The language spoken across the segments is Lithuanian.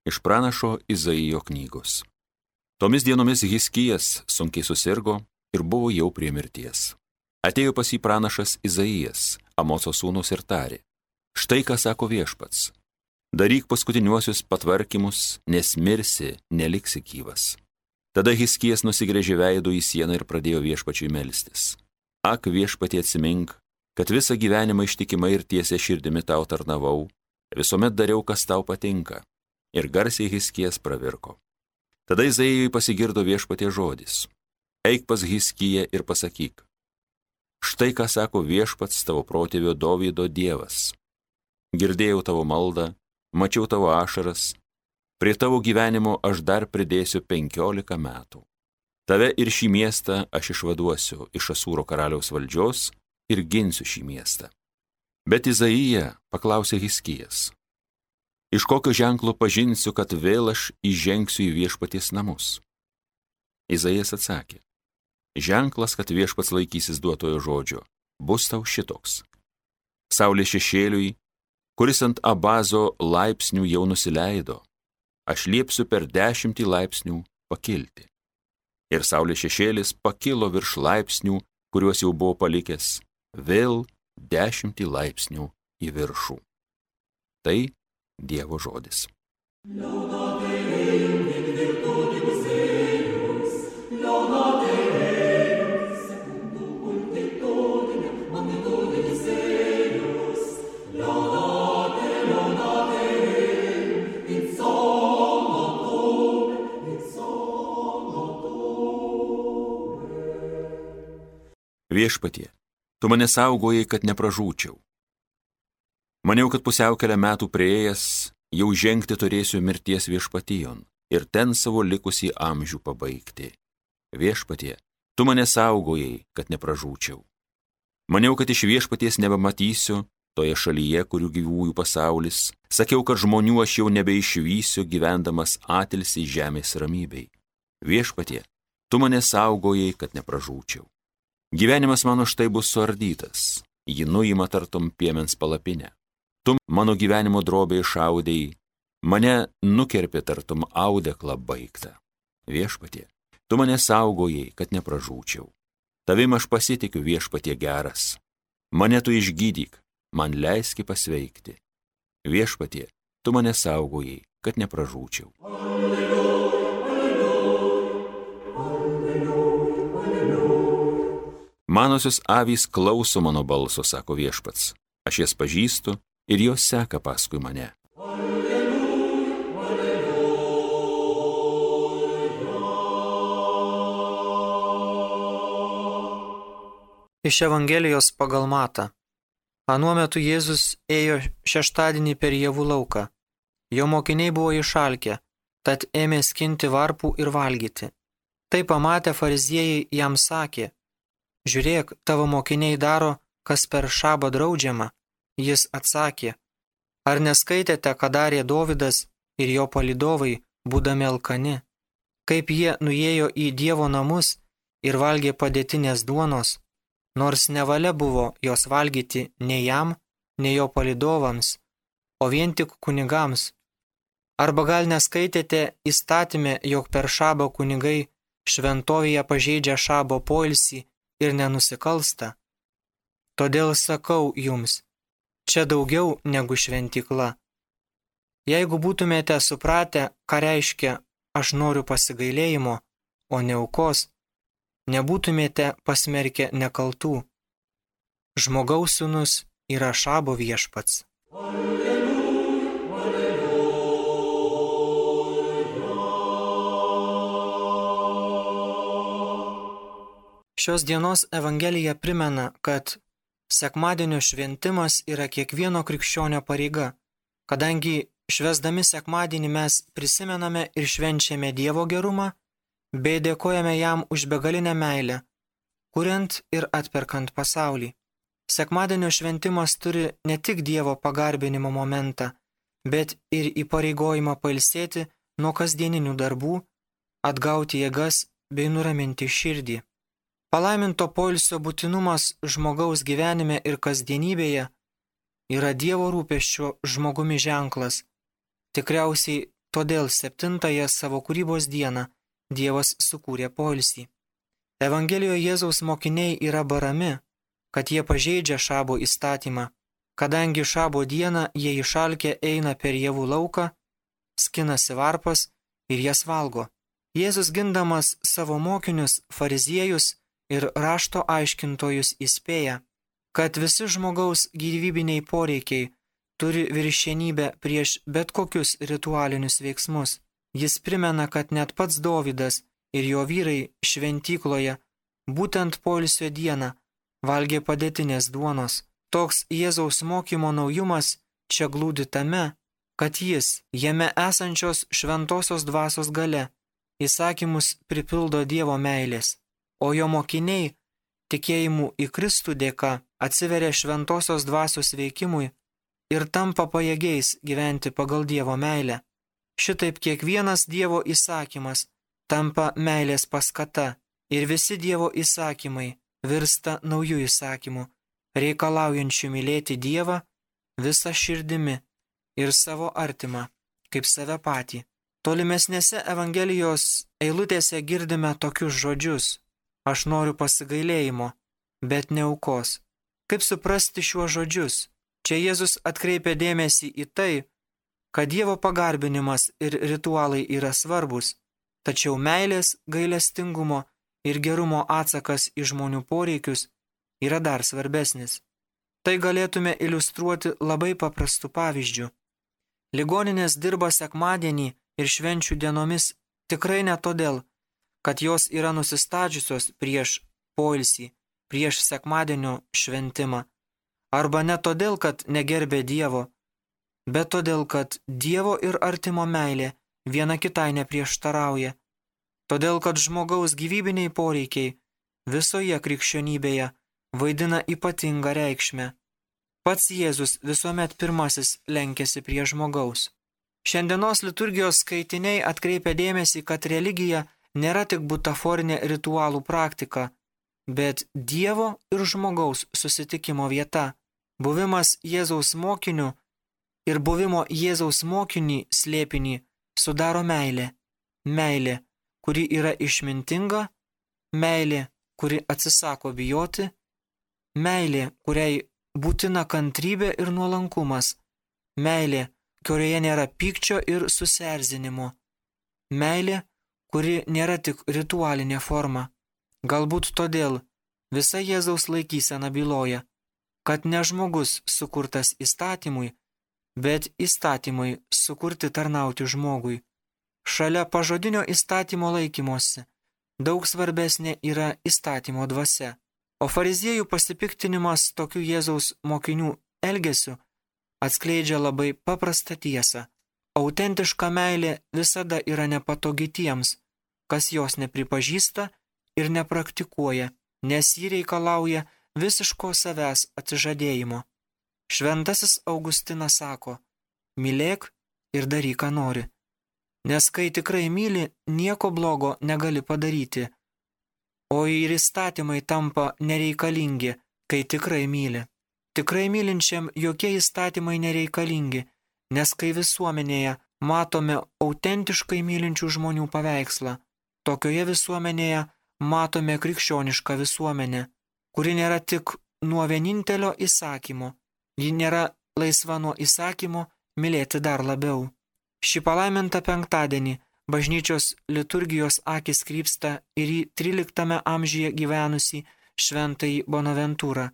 Iš pranašo Izaijo knygos. Tomis dienomis Hiskijas sunkiai susirgo ir buvo jau prie mirties. Atėjo pas jį pranašas Izaijas, Amoco sūnus, ir tarė: štai ką sako Viešpats. Daryk paskutiniuosius patvarkymus, nes mirsi, neliksi gyvas. Tada Hiskijas nusigręžė veidu į sieną ir pradėjo Viešpačiui melstis. Ak, Viešpatie, atsimink, kad visą gyvenimą ištikimai ir tiesia širdimi tau tarnavau, visuomet dariau, kas tau patinka. Ir garsiai Hiskijas pravirko. Tada Izaijui pasigirdo Viešpatie žodis: eik pas Hiskiją ir pasakyk: štai ką sako Viešpats, tavo protėvio Dovydo Dievas. Girdėjau tavo maldą, mačiau tavo ašaras, prie tavo gyvenimo aš dar pridėsiu 15 metų. Tave ir šį miestą aš išvaduosiu iš Asūro karaliaus valdžios ir ginsiu šį miestą. Bet Izaija paklausė Hiskijas: iš kokio ženklo pažinsiu, kad vėl aš įžengsiu į Viešpaties namus? Izaijas atsakė: ženklas, kad Viešpats laikysis duotojo žodžio, bus tau šitoks. Saulės šešėliui, kuris ant Abazo laipsnių jau nusileido, aš liepsiu per 10 laipsnių pakilti. Ir saulės šešėlis pakilo virš laipsnių, kuriuos jau buvo palikęs, vėl 10 laipsnių į viršų. Tai Dievo žodis. Viešpatie, tu mane saugojai, kad nepražūčiau. Maniau, kad pusiaukelę metų prieėjęs, jau žengti turėsiu mirties viešpatijon ir ten savo likusį amžių pabaigti. Viešpatie, tu mane saugojai, kad nepražūčiau. Maniau, kad iš Viešpaties nebematysiu toje šalyje, kurių gyvųjų pasaulis. Sakiau, kad žmonių aš jau nebeišvysiu, gyvendamas atilsį žemės ramybei. Viešpatie, tu mane saugojai, kad nepražūčiau. Gyvenimas mano štai bus suardytas, jį nuima tartum piemens palapinę. Tu mano gyvenimo drobę išaudėjai, mane nukerpė tartum audeklą baigtą. Viešpatie, tu mane saugojai, kad nepražūčiau. Tavim aš pasitikiu, Viešpatie geras. Mane tu išgydyk, man leiski pasveikti. Viešpatie, tu mane saugojai, kad nepražūčiau. Manosios avys klauso mano balso, sako Viešpats. Aš jas pažįstu ir jos seka paskui mane. Iš Evangelijos pagal Matą. Anuo metu Jėzus ėjo šeštadienį per javų lauką. Jo mokiniai buvo išalkę, tad ėmė skinti varpų ir valgyti. Tai pamatę fariziejai jam sakė: žiūrėk, tavo mokiniai daro, kas per šabą draudžiama. Jis atsakė: ar neskaitėte, ką darė Dovydas ir jo palydovai, būdami alkani, kaip jie nuėjo į Dievo namus ir valgė padėtinės duonos, nors nevalia buvo jos valgyti nei jam, nei jo palydovams, o vien tik kunigams? Arba gal neskaitėte įstatyme, jog per šabą kunigai šventovėje pažeidžia šabo poilsį ir nenusikalsta? Todėl sakau jums, čia daugiau negu šventykla. Jeigu būtumėte supratę, ką reiškia aš noriu pasigailėjimo, o ne aukos, nebūtumėte pasmerkę nekaltų. Žmogaus sūnus yra šabo viešpats. Šios dienos Evangelija primena, kad sekmadienio šventimas yra kiekvieno krikščionio pareiga, kadangi švęsdami sekmadienį mes prisimename ir švenčiame Dievo gerumą, bei dėkojame jam už begalinę meilę, kuriant ir atperkant pasaulį. Sekmadienio šventimas turi ne tik Dievo pagarbinimo momentą, bet ir įpareigojimą pailsėti nuo kasdieninių darbų, atgauti jėgas bei nuraminti širdį. Palaiminto poilsio būtinumas žmogaus gyvenime ir kasdienybėje yra Dievo rūpesčio žmogumi ženklas. Tikriausiai todėl 7-ąją savo kūrybos dieną Dievas sukūrė poilsį. Evangelijoje Jėzaus mokiniai yra barami, kad jie pažeidžia šabo įstatymą, kadangi šabo dieną jie išalkę eina per javų lauką, skinasi varpas ir jas valgo. Jėzus gindamas savo mokinius, fariziejus ir rašto aiškintojus įspėja, kad visi žmogaus gyvybiniai poreikiai turi viršienybę prieš bet kokius ritualinius veiksmus. Jis primena, kad net pats Dovydas ir jo vyrai šventykloje būtent poilsio dieną valgė padėtinės duonos. Toks Jėzaus mokymo naujumas čia glūdi tame, kad jis jame esančios šventosios dvasios gale įsakymus pripildo Dievo meilės, o jo mokiniai tikėjimu į Kristų dėka atsiveria šventosios dvasios veikimui ir tampa pajėgiais gyventi pagal Dievo meilę. Šitaip kiekvienas Dievo įsakymas tampa meilės paskata ir visi Dievo įsakymai virsta naujų įsakymų, reikalaujančių mylėti Dievą visą širdimi ir savo artimą, kaip save patį. Tolimesnėse Evangelijos eilutėse girdime tokius žodžius: aš noriu pasigailėjimo, bet ne aukos. Kaip suprasti šiuos žodžius? Čia Jėzus atkreipia dėmesį į tai, kad Dievo pagarbinimas ir ritualai yra svarbus, tačiau meilės, gailestingumo ir gerumo atsakas į žmonių poreikius yra dar svarbesnis. Tai galėtume iliustruoti labai paprastu pavyzdžiu. Ligoninės dirba sekmadienį ir švenčių dienomis tikrai ne todėl, kad jos yra nusistačiusios prieš poilsį, prieš sekmadienio šventimą, arba ne todėl, kad negerbė Dievo, bet todėl, kad Dievo ir artimo meilė viena kitai neprieštarauja, todėl, kad žmogaus gyvybiniai poreikiai visoje krikščionybėje vaidina ypatingą reikšmę. Pats Jėzus visuomet pirmasis lenkėsi prie žmogaus. Šiandienos liturgijos skaitiniai atkreipia dėmesį, kad religija nėra tik butaforinė ritualų praktika, bet Dievo ir žmogaus susitikimo vieta. Buvimas Jėzaus mokiniu ir buvimo Jėzaus mokinį slėpinį sudaro meilė. Meilė, kuri yra išmintinga, meilė, kuri atsisako bijoti, meilė, kuriai būtina kantrybė ir nuolankumas, meilė, kurioje nėra pykčio ir susierzinimo, meilė, kuri nėra tik ritualinė forma. Galbūt todėl visa Jėzaus laikysena byloja, kad ne žmogus sukurtas įstatymui, bet įstatymui sukurti tarnauti žmogui. Šalia pažodinio įstatymo laikymosi daug svarbesnė yra įstatymo dvasia. O fariziejų pasipiktinimas tokių Jėzaus mokinių elgesiu atskleidžia labai paprastą tiesą. Autentiška meilė visada yra nepatogi tiems, kas jos nepripažįsta ir nepraktikuoja, nes ji reikalauja visiško savęs atsižadėjimo. Šventasis Augustinas sako: mylėk ir daryk, ką nori. Nes kai tikrai myli, nieko blogo negali padaryti, o ir įstatymai tampa nereikalingi, kai tikrai myli. Tikrai mylinčiam jokie įstatymai nereikalingi, nes kai visuomenėje matome autentiškai mylinčių žmonių paveikslą, tokioje visuomenėje matome krikščionišką visuomenę, kuri nėra tik nuo vienintelio įsakymo, ji nėra laisva nuo įsakymo mylėti dar labiau. Šį palaimintą penktadienį bažnyčios liturgijos akis krypsta ir į 13 amžiuje gyvenusį šventąjį Bonaventūrą,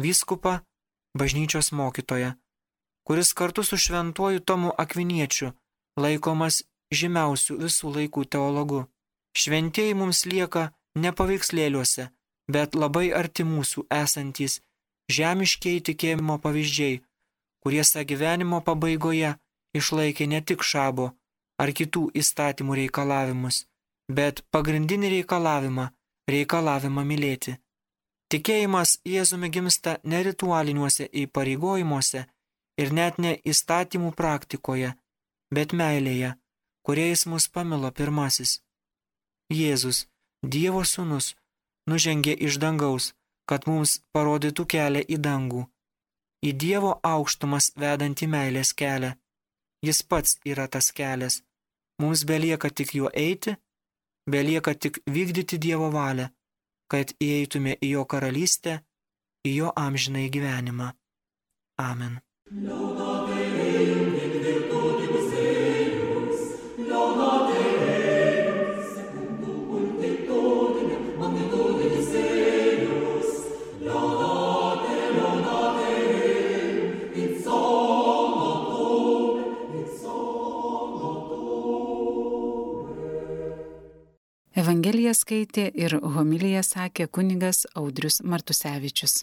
vyskupą, bažnyčios mokytoją, kuris kartu su šventuoju Tomu Akviniečiu laikomas žymiausių visų laikų teologu. Šventieji mums lieka ne paveikslėliuose, bet labai arti mūsų esantys žemiškiai tikėjimo pavyzdžiai, kurie savo gyvenimo pabaigoje išlaikė ne tik šabo ar kitų įstatymų reikalavimus, bet pagrindinį reikalavimą mylėti. Tikėjimas Jėzumi gimsta ne ritualiniuose įpareigojimuose ir net ne įstatymų praktikoje, bet meilėje, kuriais mus pamilo pirmasis. Jėzus, Dievo sūnus, nužengė iš dangaus, kad mums parodytų kelią į dangų, į Dievo aukštumas vedantį meilės kelią. Jis pats yra tas kelias, Mums belieka tik juo eiti, belieka tik vykdyti Dievo valią, kad įeitume į jo karalystę, į jo amžinąjį gyvenimą. Amen. Evangeliją skaitė ir homiliją sakė kunigas Audrius Martusevičius.